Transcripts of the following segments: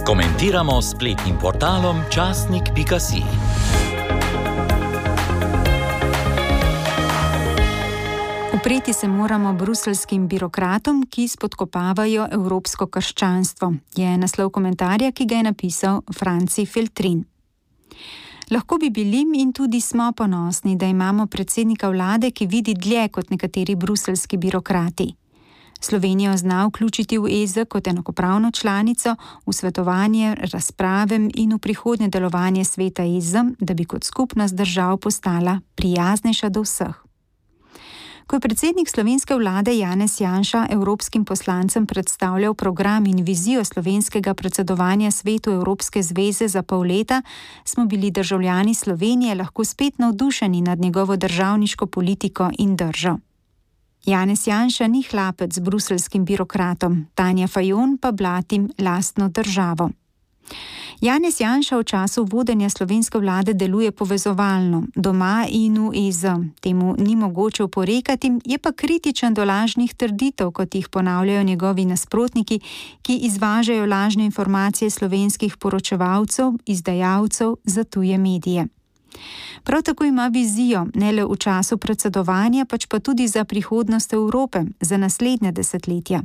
Komentiramo s spletnim portalom časnik.si. Upreti se moramo bruseljskim birokratom, ki spodkopavajo evropsko krščanstvo, je naslov komentarja, ki ga je napisal Franci Feltrin. Lahko bi bili in tudi smo ponosni, da imamo predsednika vlade, ki vidi dlje kot nekateri bruseljski birokrati. Slovenijo zna vključiti v EZ kot enakopravno članico, v svetovanje, razprave in v prihodnje delovanje sveta EZ, da bi kot skupnost držav postala prijaznejša do vseh. Ko je predsednik slovenske vlade Janez Janša evropskim poslancem predstavljal program in vizijo slovenskega predsedovanja svetu Evropske zveze za pol leta, smo bili državljani Slovenije lahko spet navdušeni nad njegovo državniško politiko in držo. Janez Janša ni hlapec z bruseljskim birokratom, Tanja Fajon pa blatim lastno državo. Janez Janša v času vodenja slovenske vlade deluje povezovalno, doma in v EZ. Temu ni mogoče oporekati, je pa kritičen do lažnih trditev, kot jih ponavljajo njegovi nasprotniki, ki izvažajo lažne informacije slovenskih poročevalcev, izdajalcev za tuje medije. Prav tako ima vizijo, ne le v času predsedovanja, pač pa tudi za prihodnost Evrope, za naslednje desetletja.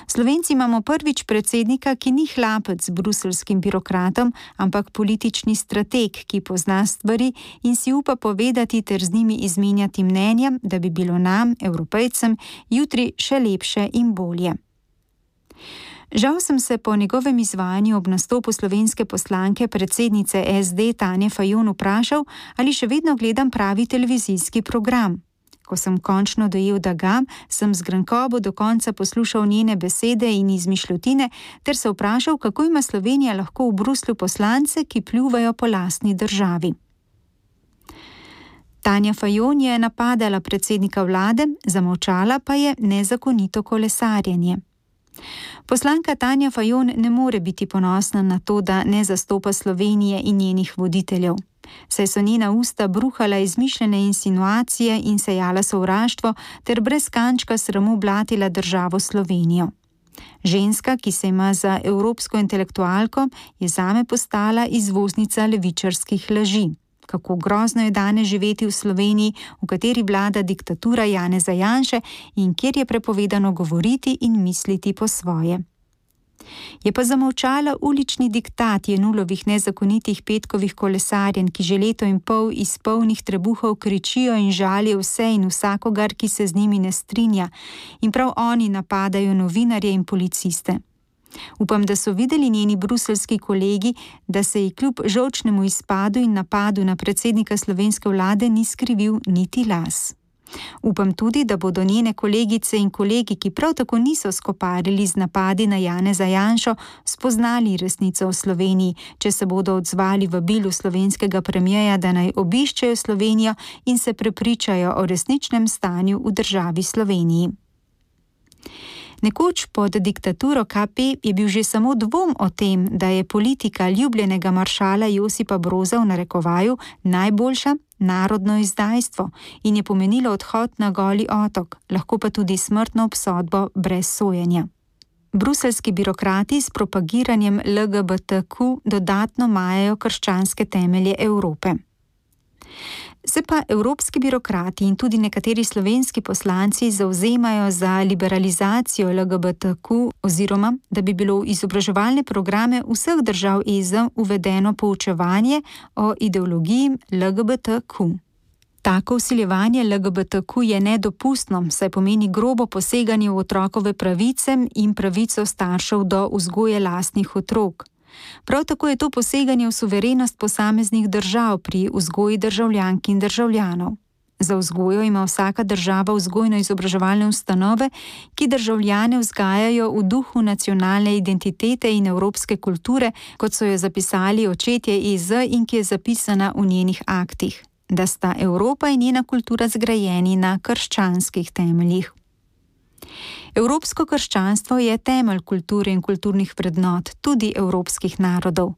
Slovenci imamo prvič predsednika, ki ni hlapec z bruseljskim birokratom, ampak politični strateg, ki pozna stvari in si upa povedati ter z njimi izmenjati mnenja, da bi bilo nam, Evropejcem, jutri še lepše in bolje. Žal sem se po njegovem izvajanju ob nastopu slovenske poslanke predsednice SD Tanje Fajon vprašal, ali še vedno gledam pravi televizijski program. Ko sem končno dojel, da ga, sem z grenkobo do konca poslušal njene besede in izmišljotine ter se vprašal, kako ima Slovenija lahko v Bruslju poslance, ki pljuvajo po lastni državi. Tanja Fajon je napadala predsednika vlade, zamolčala pa je nezakonito kolesarjenje. Poslanka Tanja Fajon ne more biti ponosna na to, da ne zastopa Slovenije in njenih voditeljev. Saj so njena usta bruhala izmišljene insinuacije in sejala sovraštvo ter brez kančka sramu blatila državo Slovenijo. Ženska, ki se ima za evropsko intelektualko, je zame postala izvoznica levičarskih laži. Kako grozno je danes živeti v Sloveniji, v kateri vlada diktatura Janeza Janše in kjer je prepovedano govoriti in misliti po svoje. Je pa zamolčala ulični diktat Jenulovih nezakonitih petkovih kolesarjenj, ki že leto in pol iz polnih trebuhov kričijo in žalijo vse in vsakogar, ki se z njimi ne strinja, in prav oni napadajo novinarje in policiste. Upam, da so videli njeni bruseljski kolegi, da se ji kljub žolčnemu izpadu in napadu na predsednika slovenske vlade ni skrivil niti las. Upam tudi, da bodo njene kolegice in kolegi, ki prav tako niso skoparili z napadi na Janeza Janšo, spoznali resnico o Sloveniji, če se bodo odzvali vabilu slovenskega premierja, da naj obiščejo Slovenijo in se prepričajo o resničnem stanju v državi Sloveniji. Nekoč pod diktaturo KP je bil že samo dvom o tem, da je politika ljubljenega maršala Josipa Broza v narekovaju najboljša narodno izdajstvo in je pomenilo odhod na Goli otok, lahko pa tudi smrtno obsodbo brez sojenja. Bruseljski birokrati s propagiranjem LGBTQ dodatno majajo krščanske temelje Evrope. Se pa evropski birokrati in tudi nekateri slovenski poslanci zavzemajo za liberalizacijo LGBTQ oziroma, da bi bilo v izobraževalne programe vseh držav EZ uvedeno poučevanje o ideologiji LGBTQ. Tako vsiljevanje LGBTQ je nedopustno, saj pomeni grobo poseganje v otrokove pravice in pravico staršev do vzgoje lastnih otrok. Prav tako je to poseganje v suverenost posameznih držav pri vzgoji državljank in državljanov. Za vzgojo ima vsaka država vzgojno-izobraževalne ustanove, ki državljane vzgajajo v duhu nacionalne identitete in evropske kulture, kot so jo zapisali očetje EZ in ki je zapisana v njenih aktih, da sta Evropa in njena kultura zgrajeni na krščanskih temeljih. Evropsko krščanstvo je temelj kulture in kulturnih vrednot, tudi evropskih narodov.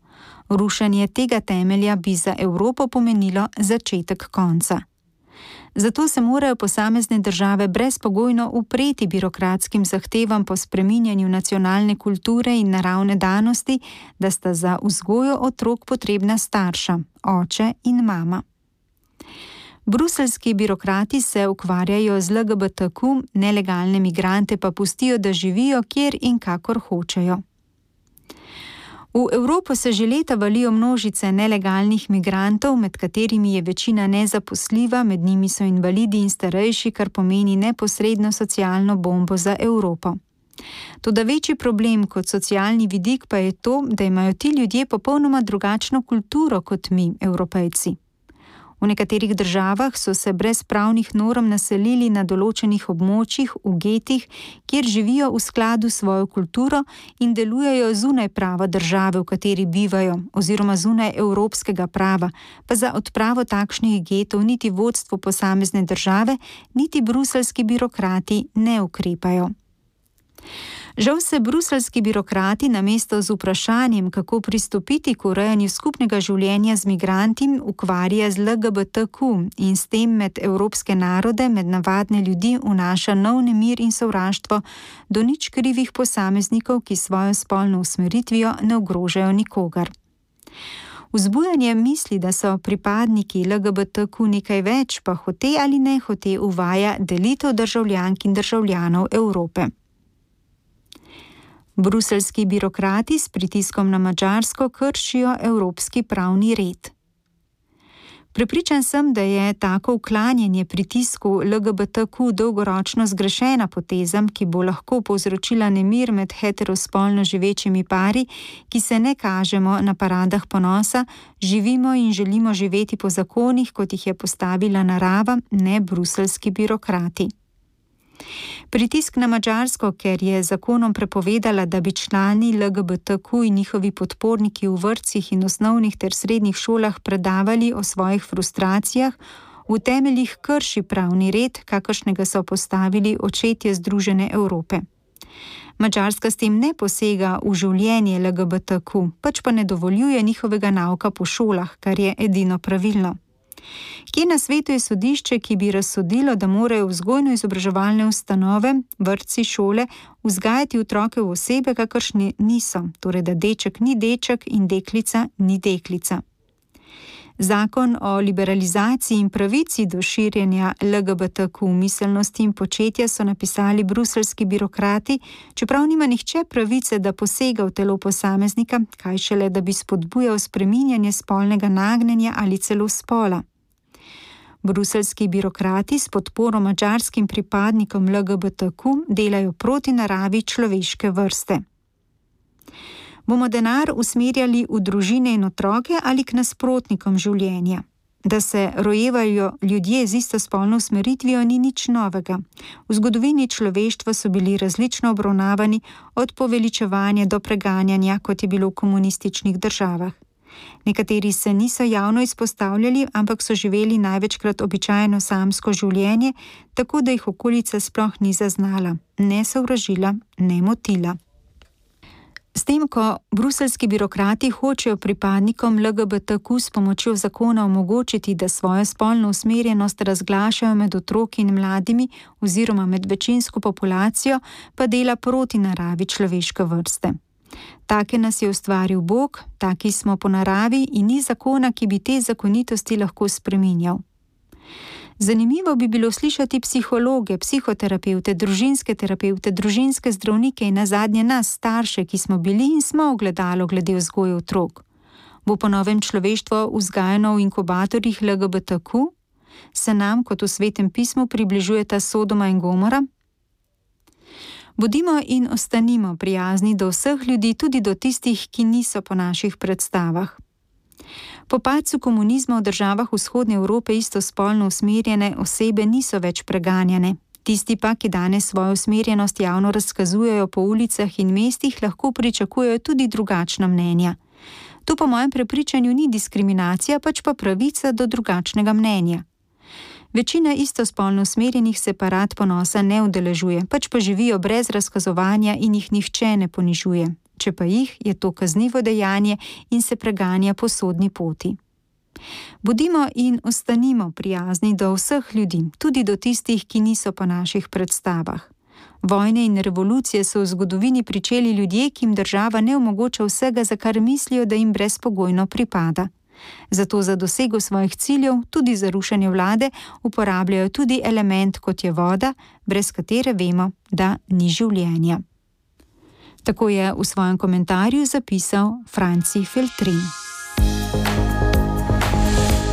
Rušenje tega temelja bi za Evropo pomenilo začetek konca. Zato se morajo posamezne države brezpogojno upreti birokratskim zahtevam po spreminjanju nacionalne kulture in naravne danosti, da sta za vzgojo otrok potrebna starša, oče in mama. Bruseljski birokrati se ukvarjajo z LGBTQ, nelegalne migrante pa pustijo, da živijo kjer in kakor hočejo. V Evropo se že leta valijo množice nelegalnih migrantov, med katerimi je večina nezaposljiva, med njimi so invalidi in starejši, kar pomeni neposredno socialno bombo za Evropo. Toda večji problem kot socialni vidik pa je to, da imajo ti ljudje popolnoma drugačno kulturo kot mi, Evropejci. V nekaterih državah so se brez pravnih norm naselili na določenih območjih, v getih, kjer živijo v skladu s svojo kulturo in delujejo zunaj prava države, v kateri bivajo, oziroma zunaj evropskega prava, pa za odpravo takšnih getov niti vodstvo posamezne države, niti bruseljski birokrati ne ukrepajo. Žal se bruseljski birokrati namesto z vprašanjem, kako pristopiti k urejanju skupnega življenja z migranti, ukvarja z LGBTQ in s tem med evropske narode, med navadne ljudi vnaša nov nemir in sovraštvo do nič krivih posameznikov, ki svojo spolno usmeritvijo ne ogrožajo nikogar. Vzbujanje misli, da so pripadniki LGBTQ nekaj več, pa hote ali ne hote uvaja delitev državljank in državljanov Evrope. Bruseljski birokrati s pritiskom na Madžarsko kršijo evropski pravni red. Prepričan sem, da je tako uklanjanje pritisku LGBTQ dolgoročno zgrešena poteza, ki bo lahko povzročila nemir med heterospolno živečimi pari, ki se ne kažemo na paradah ponosa, živimo in želimo živeti po zakonih, kot jih je postavila narava, ne bruseljski birokrati. Pritisk na Madžarsko, ker je zakonom prepovedala, da bi člani LGBTQ in njihovi podporniki v vrtcih in osnovnih ter srednjih šolah predavali o svojih frustracijah, v temeljih krši pravni red, kakršnega so postavili očetje Združene Evrope. Madžarska s tem ne posega v življenje LGBTQ, pač pa ne dovoljuje njihovega nauka po šolah, kar je edino pravilno. Kje na svetu je sodišče, ki bi razsodilo, da morajo vzgojno-izobraževalne ustanove, vrtci, šole vzgajati otroke v osebe, kakršne niso, torej da deček ni deček in deklica ni deklica. Zakon o liberalizaciji in pravici do širjenja LGBTQ miselnosti in početja so napisali bruseljski birokrati, čeprav nima nihče pravice, da posega v telo posameznika, kaj šele, da bi spodbujal spreminjanje spolnega nagnjenja ali celo spola. Bruseljski birokrati s podporo madžarskim pripadnikom LGBTQ delajo proti naravi človeške vrste. Bomo denar usmerjali v družine in otroke ali k nasprotnikom življenja? Da se rojevajo ljudje z istospolno usmeritvijo ni nič novega. V zgodovini človeštva so bili različno obravnavani od poveličevanja do preganjanja, kot je bilo v komunističnih državah. Nekateri se niso javno izpostavljali, ampak so živeli največkrat običajno samsko življenje, tako da jih okolica sploh ni zaznala, ne sovražila, ne motila. S tem, ko bruseljski birokrati hočejo pripadnikom LGBTQ s pomočjo zakona omogočiti, da svojo spolno usmerjenost razglašajo med otroki in mladimi oziroma med večinsko populacijo, pa dela proti naravi človeške vrste. Take nas je ustvaril Bog, taki smo po naravi in ni zakona, ki bi te zakonitosti lahko spreminjal. Zanimivo bi bilo slišati psihologe, psihoterapevte, družinske zdravnike in nazadnje nas, starše, ki smo bili in smo ogledalo glede vzgoje otrok. Bo po novem človeštvo vzgajano v inkubatorjih LGBTQ? Se nam, kot v Svetem pismu, približujeta Sodoma in Gomora? Bodimo in ostanimo prijazni do vseh ljudi, tudi do tistih, ki niso po naših predstavah. Po padcu komunizma v državah vzhodne Evrope istospolno usmerjene osebe niso več preganjane. Tisti pa, ki danes svojo usmerjenost javno razkazujejo po ulicah in mestih, lahko pričakujejo tudi drugačna mnenja. To po mojem prepričanju ni diskriminacija, pač pa pravica do drugačnega mnenja. Večina istospolno usmerjenih se parad ponosa ne udeležuje, pač pa živijo brez razkazovanja in jih nihče ne ponižuje. Če pa jih, je to kaznivo dejanje in se preganja po sodni poti. Bodimo in ostanimo prijazni do vseh ljudi, tudi do tistih, ki niso po naših predstavah. Vojne in revolucije so v zgodovini pričeli ljudje, ki jim država ne omogoča vsega, za kar mislijo, da jim brezpogojno pripada. Zato za dosego svojih ciljev, tudi za rušenje vlade, uporabljajo tudi element, kot je voda, brez katere vemo, da ni življenja. Tako je v svojem komentarju zapisal Franci Feltrin.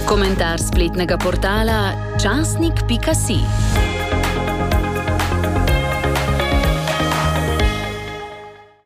Komentar spletnega portala časnik.si.